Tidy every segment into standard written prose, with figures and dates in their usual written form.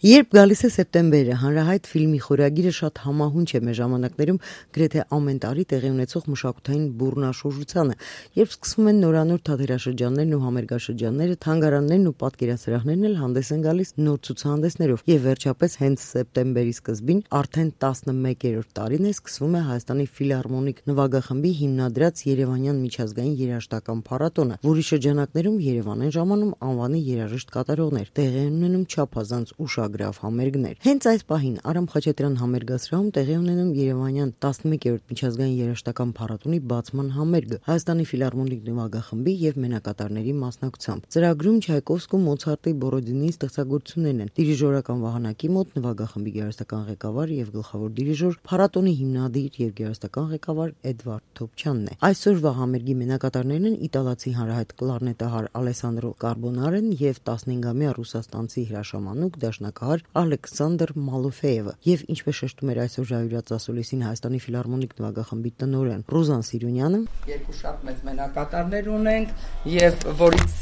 Երբ գալիս է սեպտեմբերը, հանրահայտ ֆիլմի խորագիրը շատ համահունչ է մեր ժամանակներում գրեթե ամեն տարի տեղի ունեցող մշակութային բուռնաշրջությանը, երբ սկսվում են նորանոր թատերաշրջաններն ու համերգաշրջանները, թանգարաններն ու պատկերասրահներն էլ հանդես են գալիս նոր ցուցահանդեսներով, եւ վերջապես հենց սեպտեմբերի սկզբին արդեն 11-րդ տարին է սկսվում է Հայաստանի ֆիլհարմոնիկ նվագախմբի հիմնադրած Երևանյան միջազգային երաժշտական փառատոնը, որի շրջանակներում Երևան են ժամանում անվանի երաժիշտ կատարողներ, տեղի են ունենում չափազանց ուշագրավ համերգներ։ Հենց այս պահին Արամ Խաչատրյան համերգասրահում տեղի ունենում Երևանյան 11-րդ միջազգային երաժշտական փառատոնի բացման համերգը Հայաստանի ֆիլհարմոնիկ նվագախմբի եւ մենակատարների մասնակցությամբ։ Ծրագրում Չայկովսկու, Մոցարտի, Բորոդինի ստեղծագործություններն են։ Դիրիժորական վահանակի մոտ նվագախմբի գեղարվեստական ղեկավար եւ գլխավոր դիրիժոր, փառատոնի հիմնադիր եւ գեղարվեստական ղեկավար Էդվարդ Թոփչյանն է։ Այսօրվա համերգի մենակատարներն են իտալացի հանրահայտ կլարնետահար Ալեսանդրո Կարբոնարեն եւ 15-ամյա ռուսաստանցի հրաշամանուկ դաշնակահար Ալեքսանդր Մալոֆեևը եւ ինչպես շեշտում էր այսօր ժայռած ասուլիսին Հայաստանի ֆիլհարմոնիկ նվագախմբի տնօրեն Ռուզան Սիրունյանը, երկու շատ մեծ մենակատարներ ունենք եւ որից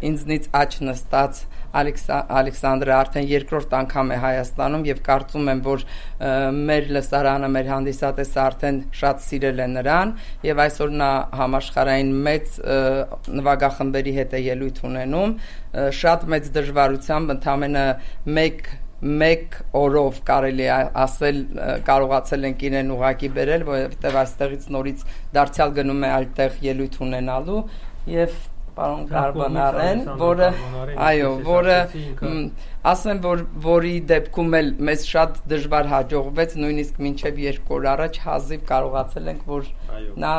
ինձնից աչ նստած Ալեքսանդրը արդեն երկրորդ անգամ է Հայաստանում եւ կարծում եմ, որ մեր լսարանը, մեր հանդիսատեսը արդեն շատ սիրել է նրան եւ այսօր նա համաշխարհային մեծ նվագախմբերի հետ է ելույթ ունենում, շատ մեծ դժվարությամբ ընդամենը մեկ օրով կարելի ասել կարողացել ենք իրեն ուղակի բերել, որովհետեւ այստեղից նորից դարձյալ գնում է այլտեղ ելույթ ունենալու եւ պարոն Կարբոնարեն, որը ասեմ, որի դեպքում էլ մեզ շատ դժվար հաջողվեց, նույնիսկ մինչև 2 օր առաջ հազիվ կարողացել ենք, որ նա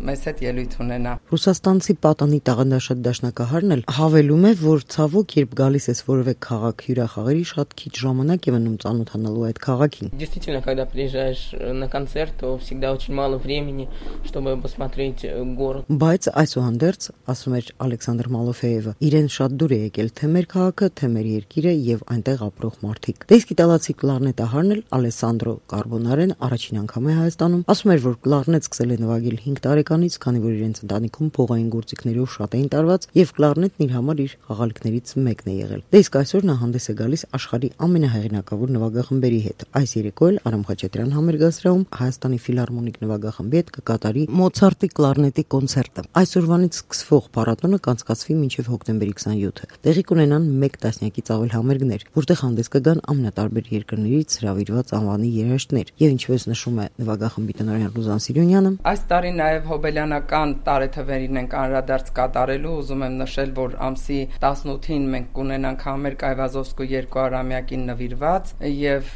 մեզ հետ ելույթ ունենա։ Ռուսաստանցի պատանի տաղանդաշատ դաշնակահարն էլ հավելում է, որ ցավոք, երբ գալիս ես որևէ քաղաք հյուրախաղերի, շատ քիչ ժամանակ է մնում ծանոթանալու այդ քաղաքին։ Действительно, когда приезжаешь на концерт, то всегда очень мало времени, чтобы посмотреть город. Բայց այսուհանդերձ, ասում էր Ալեքսանդր Մալոֆեևը, իրեն շատ դուր է եկել թե մեր քաղաքը, թե մեր երկիրը եւ այնտեղ ապրող մարդիկ։ Դե իսկ իտալացի կլարնետահարն էլ Ալեսանդրո Կարբոնարեն առաջին անգամ է Հայաստանում, ասում էր, որ կլարնետ սկսել է նվագել 5 տարեկանից, քանի որ իրենց ընտանիքում փողային գործիքներով շատ էին տարված եւ կլարնետն իր համար իր խաղալիքներից մեկն է եղել։ Դե իսկ այսօր նա հանդես է գալիս աշխարհի ամենահեղինակավոր նվագախմբերի հետ։ Այս երեկո էլ Արամ Խաչատրյան համերգասրահում Հայաստանի ֆիլհարմոնիկ նվագախմբի հետ կկատարի Մոցարտի կլարնետի կոնցերտը։ Այսօրվանից սկսվող փառատոնը կանցկացվի մինչև հոկտեմբերի 27-ը։ Տեղի կունենան 1 տասնյակից ավել համերգներ, որտեղ հանդես կգան ամենատարբեր երկրներից հրավիրված անվանի երաժիշտներ։ Եվ ինչպես նշում է նվագախմբի տնօրեն Ռուզան Սիրունյանը, այս տարի նաև հոբելյանական տարեթվերին ենք անդրադարձ կատարելու, ուզում եմ նշել, որ ամսի 18-ին մենք կունենանք համերգ Այվազովսկու 200-ամյակին նվիրված եւ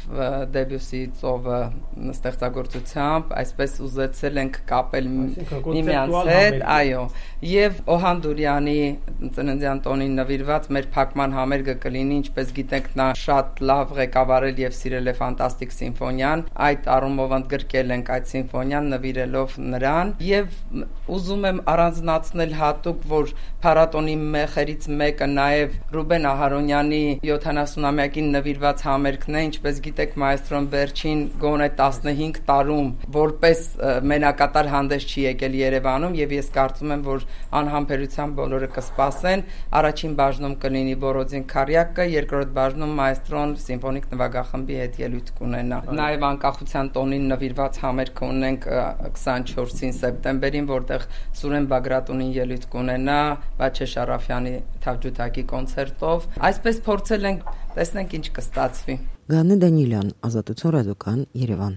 Դեբյուսի ծովը ստեղծագործությամբ, այսպես ուզեցել ենք կապել միմյանց հետ, այո, եւ Օհան Դուրյանի ծննդյան տոնին նվիրված մեր փակման համերգը կլինի, ինչպես գիտենք, նա շատ լավ ղեկավարել եւ սիրել է ֆանտաստիկ սիմֆոնիան, այդ առումով ընդգրկել ենք այդ սիմֆոնիան նվիրելով նրան եւ ուզում եմ առանձնացնել հատուկ, որ փառատոնի մեխերից մեկը նաեւ Ռուբեն Ահարոնյանի 70-ամյակին նվիրված համերգն է, ինչպես գիտեք, մայստրոն վերջին գոնե 15 տարում որպես մենակատար հանդես չի եկել Երևանում եւ ես կարծում եմ, որ անհամբերությամբ բոլորը կսպասեն։ Առաջին բաժնում կլինի Բորոդին Քարյակը, երկրորդ բաժնում մայստրոն սիմֆոնիկ նվագախմբի հետ ելույթ կունենա։ Նաև անկախության տոնին նվիրված համերգ ունենք 24-ին սեպտեմբերին, որտեղ Սուրեն Բագրատունին ելույթ կունենա Վաչե Շարաֆյանի թավջութակի կոնցերտով։ Այսպես փորձել ենք, տեսնենք ինչ կստացվի։ Գանե Դանիելյան, Ազատություն ռադիոկան, Երևան։